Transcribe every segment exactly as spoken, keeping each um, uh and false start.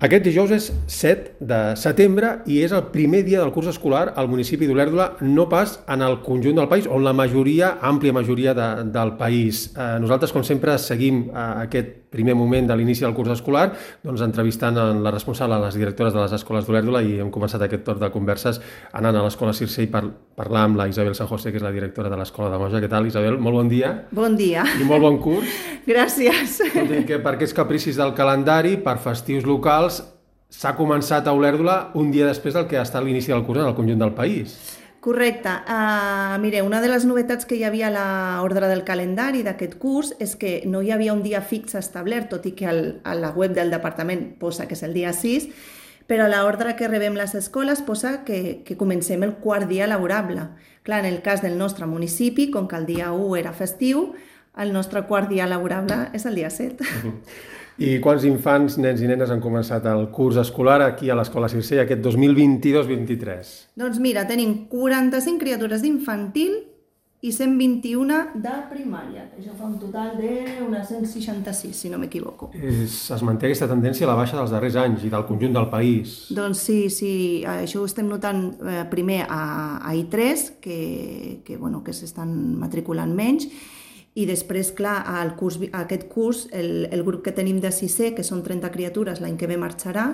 Aquest dijous és set de setembre i és el primer dia del curs escolar al municipi d'Olèrdola, no pas en el conjunt del país, on la majoria, àmplia majoria de, del país. Eh, nosaltres, com sempre, seguim eh, aquest primer moment de l'inici del curs escolar, doncs entrevistant en la responsable, les directores de les escoles d'Olèrdola, i hem començat aquest torn de converses anant a l'escola Circell per parlar amb la Isabel San José, que és la directora de l'escola de Moja. Què tal, Isabel? Molt bon dia. Bon dia. I molt bon curs. Gràcies. Que per aquests capricis del calendari, per festius locals, s'ha començat a Olèrdola un dia després del que ha estat l'inici del curs en el conjunt del país. Correcte. Uh, mire, una de les novetats que hi havia a l'ordre del calendari d'aquest curs és que no hi havia un dia fix establert, tot i que al, a la web del departament posa que és el dia sis, però a l'ordre que rebem les escoles posa que, que comencem el quart dia laborable. Clar, en el cas del nostre municipi, com que el dia u era festiu, el nostre quart dia laborable és el dia set. Uh-huh. I quants infants, nens i nenes han començat el curs escolar aquí a l'escola Circell aquest dos mil vint-i-dos vint-i-tres? Doncs mira, tenim quaranta-cinc criatures d'infantil i cent vint-i-un de primària. Això fa un total d'unes cent seixanta-sis, si no m'equivoco. Es, es manté aquesta tendència a la baixa dels darrers anys i del conjunt del país. Doncs sí, sí, això ho estem notant eh, primer a, a I tres, que, que, bueno, que s'estan matriculant menys, i després, clar, al curs, a aquest curs, el, el grup que tenim de sisè, que són trenta criatures, l'any que ve marxarà,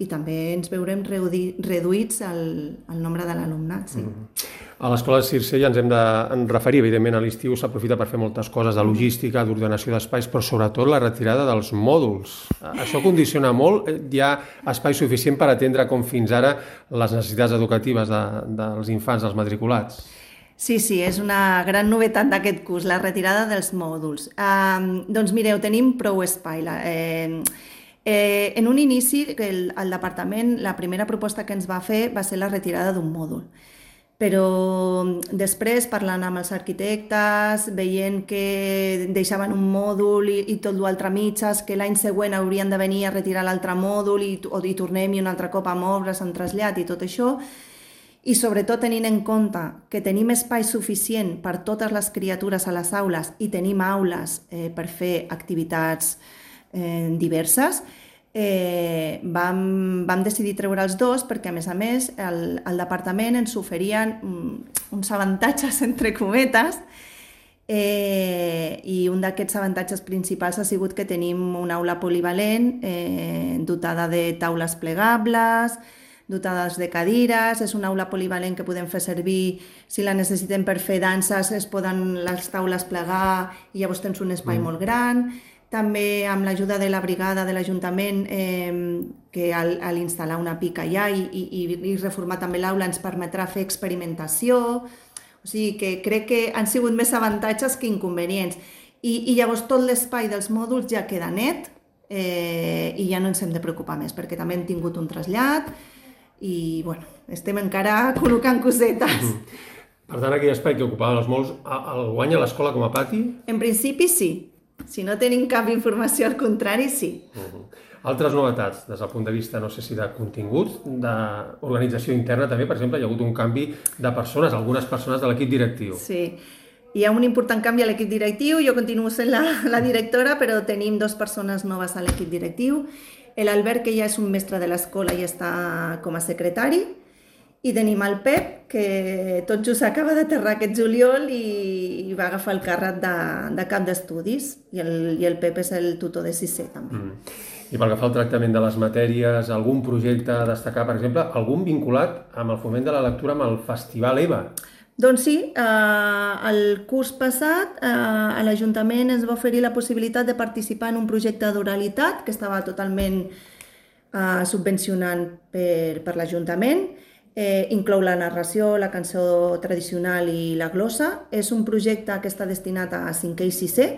i també ens veurem reduï, reduïts el, el nombre de l'alumnat. Sí. Mm. A l'escola de Circell ens hem de en referir, evidentment, a l'estiu s'aprofita per fer moltes coses de logística, d'ordenació d'espais, però sobretot la retirada dels mòduls. Això condiciona molt. Hi ha espai suficient per atendre, com fins ara, les necessitats educatives de, dels infants, dels matriculats? Sí, sí, és una gran novetat d'aquest curs, la retirada dels mòduls. Um, doncs mireu, tenim prou espai. Eh, eh, en un inici, el, el departament, la primera proposta que ens va fer va ser la retirada d'un mòdul. Però després, parlant amb els arquitectes, veient que deixaven un mòdul i, i tot l'altre mitges, que l'any següent haurien de venir a retirar l'altre mòdul i, o, i tornem i un altre cop amb obres, amb trasllat i tot això, i sobretot tenint en compte que tenim espai suficient per totes les criatures a les aules i tenim aules eh, per fer activitats eh, diverses, eh, vam, vam decidir treure els dos perquè, a més a més, el, el departament ens oferien uns avantatges, entre cometes, eh, i un d'aquests avantatges principals ha sigut que tenim una aula polivalent eh, dotada de taules plegables, dotades de cadires, és una aula polivalent que podem fer servir si la necessitem per fer danses, es poden les taules plegar i llavors tens un espai mm. molt gran. També amb l'ajuda de la brigada de l'Ajuntament, eh, que al, al instal·lar una pica allà i, i, i reformar també l'aula ens permetrà fer experimentació. O sigui que crec que han sigut més avantatges que inconvenients. I, i llavors tot l'espai dels mòduls ja queda net eh, i ja no ens hem de preocupar més perquè també hem tingut un trasllat i bueno, estem encara col·locant cosetes. Mm. Per tant, aquell espai que ocupaven els mòduls, el guanya l'escola com a pati? En principi sí. Si no tenim cap informació, al contrari, sí. Uh-huh. Altres novetats, des del punt de vista, no sé si de contingut, d'organització interna també, per exemple, hi ha hagut un canvi de persones, algunes persones de l'equip directiu. Sí, hi ha un important canvi a l'equip directiu, jo continuo sent la, la directora, però tenim dues persones noves a l'equip directiu. L'Albert, que ja és un mestre de l'escola i està com a secretari, i tenim el Pep, que tot just acaba d'aterrar aquest juliol i, i va agafar el càrrec de, de cap d'estudis, i el, i el Pep és el tutor de sisè també. Mm. I pel que fa al tractament de les matèries, algun projecte a destacar, per exemple, algun vinculat amb el foment de la lectura amb el Festival EVA? Doncs sí, eh, el curs passat eh, a l'Ajuntament ens va oferir la possibilitat de participar en un projecte d'oralitat que estava totalment eh, subvencionant per, per l'Ajuntament. Eh, inclou la narració, la cançó tradicional i la glossa. És un projecte que està destinat a cinquè i sisè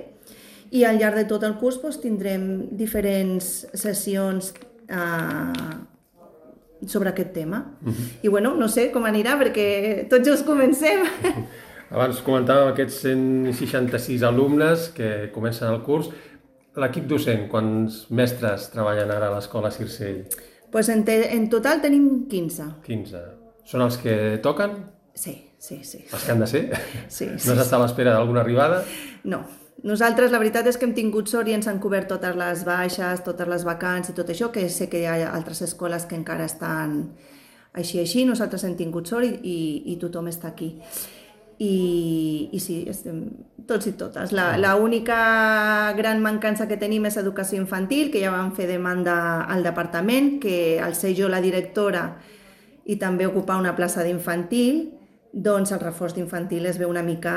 i al llarg de tot el curs doncs, tindrem diferents sessions eh, sobre aquest tema. Uh-huh. I bueno, no sé com anirà perquè tots just comencem. Uh-huh. Abans comentàvem aquests cent seixanta-sis alumnes que comencen el curs. L'equip docent, quants mestres treballen ara a l'escola Circell? Pues en, te, en total tenim quinze. quinze. Són els que toquen? Sí, sí, sí. Els que han de ser? Sí, sí. No s'està a l'espera d'alguna arribada? No, Nosaltres la veritat és que hem tingut sort i ens han cobert totes les baixes, totes les vacants i tot això, que sé que hi ha altres escoles que encara estan així així, nosaltres hem tingut sort i, i, i tothom està aquí. I, i sí, estem tots i totes. L'única gran mancança que tenim és educació infantil, que ja vam fer demanda al departament, que al ser jo la directora i també ocupar una plaça d'infantil, doncs el reforç d'infantil es veu una mica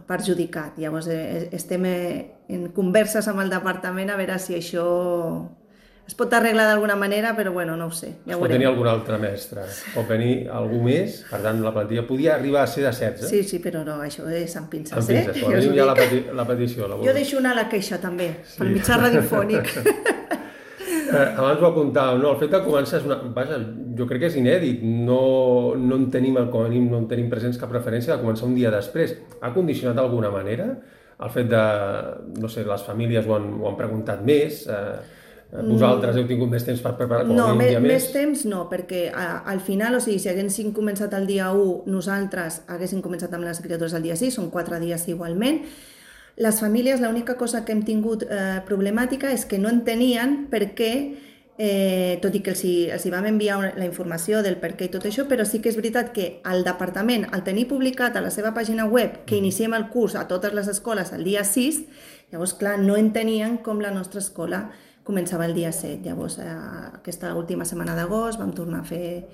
perjudicat. Llavors estem en converses amb el departament a veure si això es pot arreglar d'alguna manera, però bueno, no ho sé. Ja es pot tenir algun altre mestre, pot venir algú més, per tant la plantilla podia arribar a ser de setze. Sí, sí, però no, això és amb pinces, eh? Amb pinces, quan venim ja la, peti la petició. La jo deixo anar la queixa també, sí. Pel mitjà radiofònic. Eh, abans ho apuntàvem, no? El fet de començar és una... Vaja, jo crec que és inèdit, no, no en tenim, com a mínim, no en tenim presents cap preferència de començar un dia després. Ha condicionat d'alguna manera el fet de, no sé, les famílies ho han, ho han preguntat més, eh, vosaltres heu tingut més temps per preparar com a mínim un dia més? No, més temps no, perquè a, al final, o sigui, si haguéssim començat el dia u, nosaltres haguéssim començat amb les criatures el dia sis, són quatre dies igualment. Les famílies, l'única cosa que hem tingut eh, problemàtica és que no entenien per què, eh, tot i que els, els hi vam enviar una, la informació del per què i tot això, però sí que és veritat que el departament, al tenir publicat a la seva pàgina web que iniciem el curs a totes les escoles el dia sis, llavors, clar, no entenien com la nostra escola començava el dia set. Llavors, eh, aquesta última setmana d'agost vam tornar a fer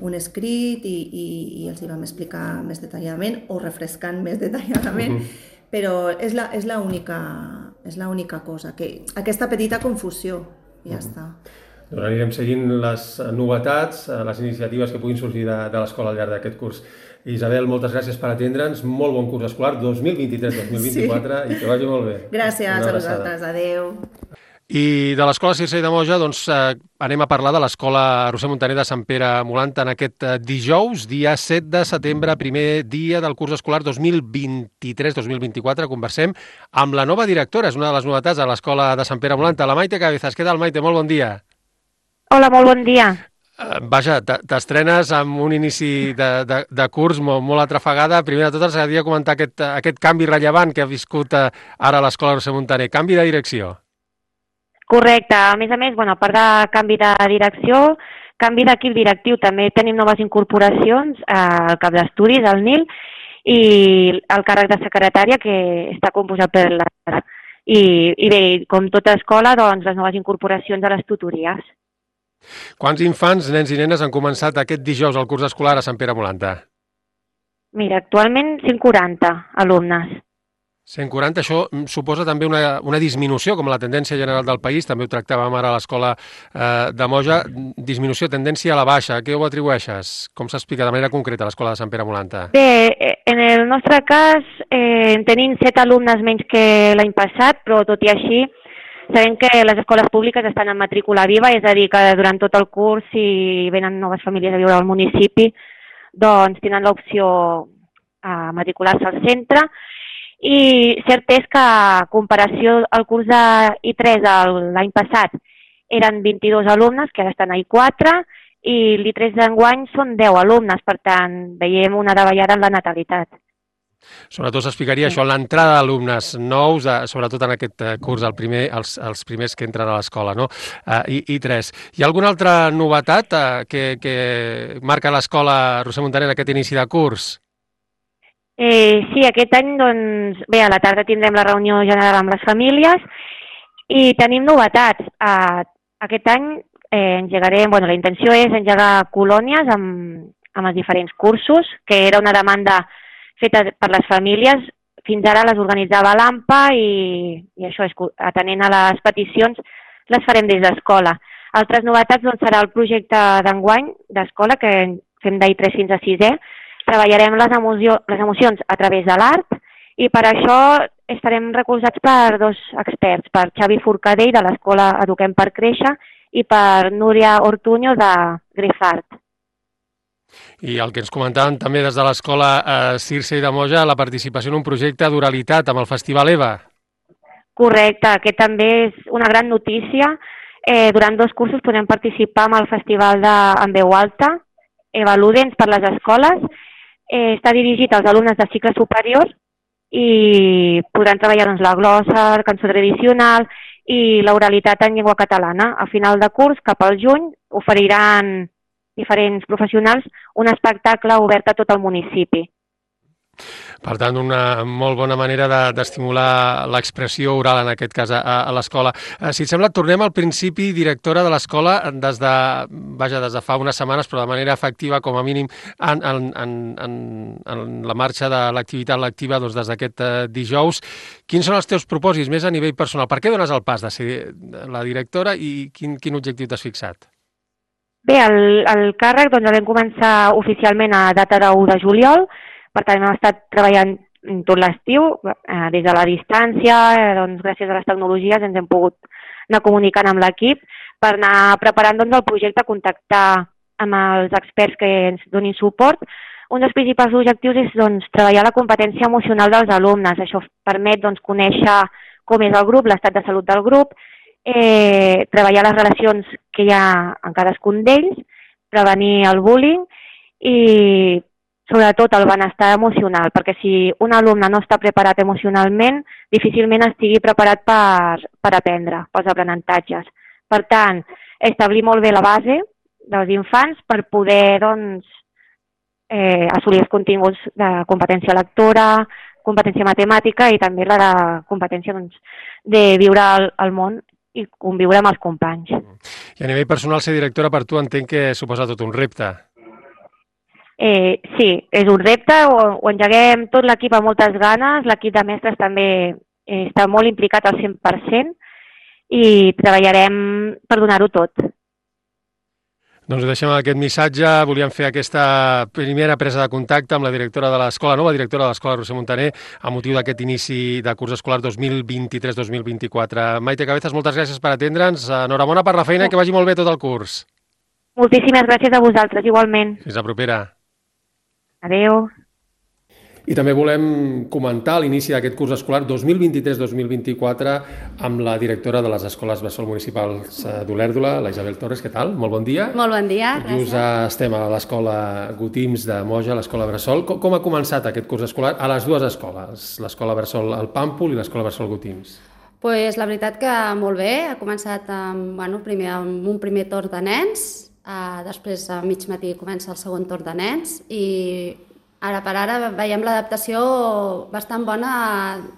un escrit i, i, i els hi vam explicar més detalladament o refrescant més detalladament. Uh-huh. Però és la, és la única, és la única cosa, que aquesta petita confusió, ja mm. està. Doncs anirem seguint les novetats, les iniciatives que puguin sorgir de, de l'escola al llarg d'aquest curs. Isabel, moltes gràcies per atendre'ns, molt bon curs escolar, dos mil vint-i-tres dos mil vint-i-quatre, sí. I que vagi molt bé. Gràcies a vosaltres, adeu. I de l'Escola Circei de Moja doncs, eh, anem a parlar de l'Escola Roser Muntaner de Sant Pere Molant en aquest eh, dijous, dia set de setembre, primer dia del curs escolar dos mil vint-i-tres dos mil vint-i-quatre. Conversem amb la nova directora, és una de les novetats de l'Escola de Sant Pere Molant, la Maite Cabezas. Què tal, Maite? Molt bon dia. Hola, molt bon dia. Eh, vaja, t'estrenes amb un inici de, de, de curs molt, molt atrafegada. Primer de tot, ens agradaria comentar aquest, aquest canvi rellevant que ha viscut eh, ara l'Escola Roser Muntaner. Canvi de direcció. Correcte. A més a més, bueno, a part de canvi de direcció, canvi d'equip directiu, també tenim noves incorporacions al cap d'estudis, al Nil, i el càrrec de secretària, que està composat per la... I, i bé, com tota escola, doncs, les noves incorporacions a les tutories. Quants infants, nens i nenes, han començat aquest dijous al curs escolar a Sant Pere Molanta? Mira, actualment cent quaranta alumnes. cent quaranta, això suposa també una, una disminució, com la tendència general del país, també ho tractàvem ara a l'Escola eh, de Moja, disminució, tendència a la baixa. Què ho atribueixes? Com s'explica de manera concreta a l'Escola de Sant Pere Molanta? Bé, en el nostre cas eh, tenim set alumnes menys que l'any passat, però tot i així sabem que les escoles públiques estan en matrícula viva, és a dir, que durant tot el curs, si venen noves famílies a viure al municipi, doncs tenen l'opció a matricular-se al centre. I cert és que a comparació al curs de I tres l'any passat eren vint-i-dos alumnes, que ara estan a I quatre, i l'I tres d'enguany són deu alumnes, per tant veiem una davallada en la natalitat. Sobretot s'explicaria sí. Això, l'entrada d'alumnes nous, de, sobretot en aquest curs, el primer, els, els primers que entren a l'escola, no? Uh, I, I tres. Hi ha alguna altra novetat uh, que, que marca l'Escola Roser Muntaner en aquest inici de curs? Eh, sí, aquest any, doncs, bé, a la tarda tindrem la reunió general amb les famílies i tenim novetats. Eh, aquest any eh, engegarem, bueno, la intenció és engegar colònies amb, amb els diferents cursos, que era una demanda feta per les famílies. Fins ara les organitzava l'AMPA i, i això, atenent a les peticions, les farem des d'escola. Altres novetats doncs, serà el projecte d'enguany d'escola, que fem d'I tres fins a sisè. Treballarem les, emoció, les emocions a través de l'art i per això estarem recolzats per dos experts, per Xavi Forcadell de l'Escola Eduquem per Créixer i per Núria Ortuño de Grefart. I el que ens comentaven també des de l'Escola eh, Circei de Moja, la participació en un projecte d'oralitat amb el Festival EVA. Correcte, aquest també és una gran notícia. Eh, durant dos cursos podem participar amb el Festival de, en veu alta, EVA Ludens per les escoles. Eh, està dirigit als alumnes de cicle superior i podran treballar doncs, la glossa, la cançó tradicional i l'oralitat en llengua catalana. A final de curs, cap al juny, oferiran diferents professionals un espectacle obert a tot el municipi. Per tant, una molt bona manera d'estimular l'expressió oral, en aquest cas, a l'escola. Si et sembla, tornem al principi, directora de l'escola, des de, vaja, des de fa unes setmanes, però de manera efectiva, com a mínim, en, en, en, en la marxa de l'activitat lectiva doncs, des d'aquest dijous. Quins són els teus propòsits, més a nivell personal? Per què dones el pas de ser la directora i quin, quin objectiu t'has fixat? Bé, el, el càrrec doncs, el vam començar oficialment a data de u de juliol. Per tant, hem estat treballant tot l'estiu, eh, des de la distància, eh, doncs, gràcies a les tecnologies ens hem pogut anar comunicant amb l'equip per anar preparant doncs, el projecte, contactar amb els experts que ens donin suport. Un dels principals objectius és doncs, treballar la competència emocional dels alumnes. Això permet doncs, conèixer com és el grup, l'estat de salut del grup, eh, treballar les relacions que hi ha en cadascun d'ells, prevenir el bullying i sobretot el benestar emocional, perquè si un alumne no està preparat emocionalment, difícilment estigui preparat per, per aprendre, pels aprenentatges. Per tant, establir molt bé la base dels infants per poder doncs, eh, assolir els continguts de competència lectora, competència matemàtica i també la de competència doncs, de viure al, al món i conviure amb els companys. I a nivell personal, ser directora per tu entenc que suposa tot un repte. Eh, sí, és un repte, ho, ho engeguem tot l'equip amb moltes ganes, l'equip de mestres també eh, està molt implicat al cent per cent i treballarem per donar-ho tot. Doncs deixem aquest missatge, volíem fer aquesta primera presa de contacte amb la directora de l'escola, nova directora de l'escola Roser Montaner, a motiu d'aquest inici de curs escolar dos mil vint-i-tres dos mil vint-i-quatre. Maite Cabezas, moltes gràcies per atendre'ns, enhorabona per la feina i que vagi molt bé tot el curs. Moltíssimes gràcies a vosaltres, igualment. Fins la propera. Adéu. I també volem comentar l'inici d'aquest curs escolar dos mil vint-i-tres dos mil vint-i-quatre amb la directora de les escoles bressol municipals d'Olèrdola, la Isabel Torres. Què tal? Molt bon dia. Molt bon dia, gràcies. Just estem a l'escola Gotims de Moja, l'escola bressol. Com, com ha començat aquest curs escolar a les dues escoles, l'escola bressol El Pàmpol i l'escola bressol Gotims? Pues la veritat que molt bé, ha començat amb, bueno, primer, amb un primer torn de nens, Uh, després a mig matí comença el segon torn de nens i ara per ara veiem l'adaptació bastant bona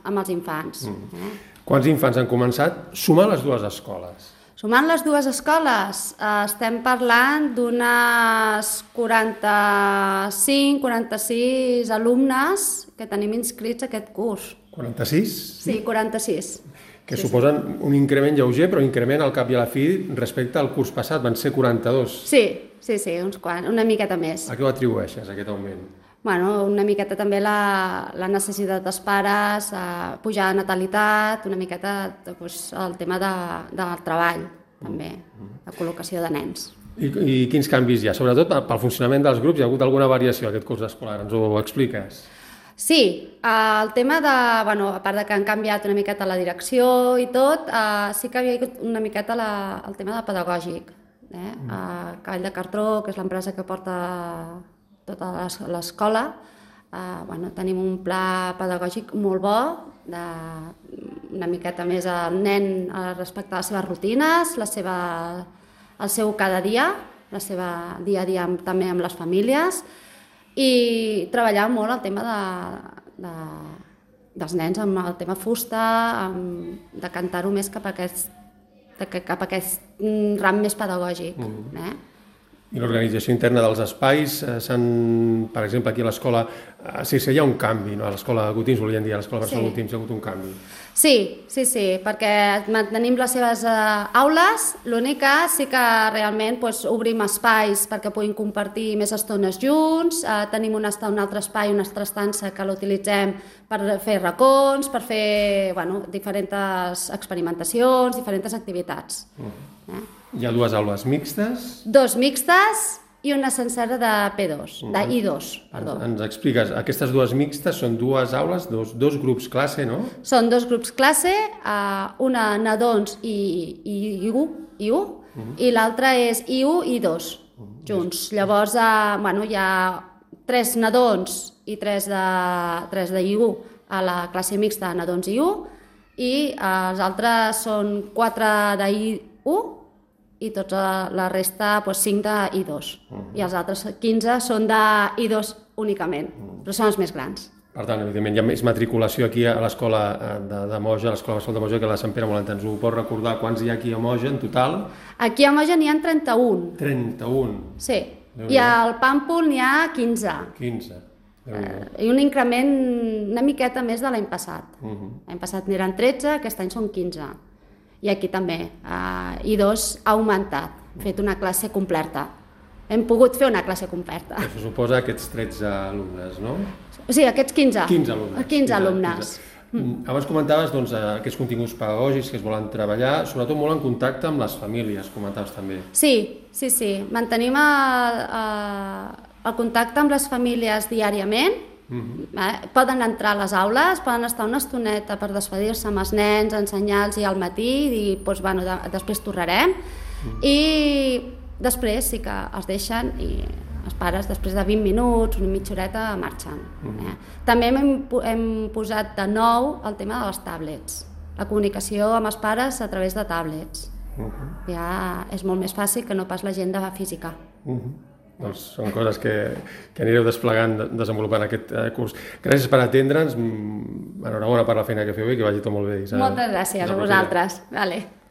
amb els infants. Mm. Eh? Quants infants han començat sumant les dues escoles? Sumant les dues escoles uh, estem parlant d'unes quaranta-cinc quaranta-sis alumnes que tenim inscrits aquest curs. quaranta-sis? Sí, quaranta-sis. Que sí, suposen sí. un increment lleuger, però increment al cap i a la fi respecte al curs passat, van ser quaranta-dos. Sí, sí, sí, uns quants, una miqueta més. A què ho atribueixes, aquest augment? Bueno, una miqueta també la, la necessitat dels pares, eh, pujar de natalitat, una miqueta doncs, el tema de, del treball, també, la col·locació de nens. I, I quins canvis hi ha? Sobretot pel funcionament dels grups, hi ha hagut alguna variació aquest curs escolar, ens ho expliques? Sí, el tema de, bueno, a part de que han canviat una miqueta la direcció i tot, eh, sí que havia hagut una miqueta la, el tema de pedagògic. Eh? Mm. Eh, Cavall de Cartró, que és l'empresa que porta tota l'escola, eh, bueno, tenim un pla pedagògic molt bo, de, una miqueta més al nen respecte a les seves rutines, la seva, el seu cada dia, la seva dia a dia amb, també amb les famílies, i treballar molt el tema de, de, dels nens amb el tema fusta, amb, de cantar-ho més cap a aquest, de, cap a aquest ram més pedagògic. Mm. Eh? I l'organització interna dels espais, eh, per exemple, aquí a l'escola, eh, sí, sí, hi ha un canvi, no? A l'escola Gotims, volien dir, a l'escola Bressol sí. Gotims hi ha hagut un canvi. Sí, sí, sí, perquè mantenim les seves uh, aules, l'únic que sí que realment pues, obrim espais perquè puguin compartir més estones junts, uh, tenim un, un altre espai, una altra estança que l'utilitzem per fer racons, per fer bueno, diferents experimentacions, diferents activitats. Mm. Eh? Hi ha dues aules mixtes? Dos mixtes i una sencera de P dos, de I dos, perdó. Ens, ens expliques, aquestes dues mixtes són dues aules, dos, dos grups classe, no? Són dos grups classe, uh, una nadons i, i I u, I u uh -huh. i l'altra és I u i I dos, uh -huh. junts. Llavors, uh, bueno, hi ha tres nadons i tres de, tres de I u a la classe mixta nadons i u, i els altres són quatre d'I u i tota la resta doncs, cinc d'I dos. Uh-huh. I els altres quinze són d'I dos únicament, uh-huh. però són els més grans. Per tant, evidentment, hi ha més matriculació aquí a l'escola de, de Moja, a l'escola de Moja, que a la Sant Pere Molent. Ens ho pots recordar quants hi ha aquí a Moja en total? Aquí a Moja n'hi ha trenta-un. trenta-un? Sí. I al Pàmpol n'hi ha quinze. quinze. Eh, I un increment una miqueta més de l'any passat. Uh-huh. L'any passat n'eren tretze, aquest any són quinze. I aquí també. Eh, I dos ha augmentat, fet una classe completa. Hem pogut fer una classe completa. Això suposa aquests tretze alumnes, no? O sigui, aquests quinze. quinze alumnes. quinze alumnes. quinze. Mm. Abans comentaves doncs, aquests continguts pedagògics que es volen treballar, sobretot molt en contacte amb les famílies, comentaves també. Sí, sí, sí. Mantenim el, el contacte amb les famílies diàriament. Mm-hmm. eh? Poden entrar a les aules, poden estar una estoneta per despedir-se amb els nens, ensenyar-los i al matí, i doncs, bueno, de, després tornarem. Mm. I després sí que els deixen i els pares, després de vint minuts, una mitja horeta, marxen. Mm-hmm. eh? També hem, hem posat de nou el tema de les tablets, la comunicació amb els pares a través de tablets. Mm-hmm. Ja és molt més fàcil que no pas l'agenda física. Mm-hmm. Doncs són coses que, que anireu desplegant, desenvolupant aquest eh, curs. Gràcies per atendre'ns, enhorabona per la feina que feu i que vagi tot molt bé, Isabel. Moltes gràcies a vosaltres. Vale.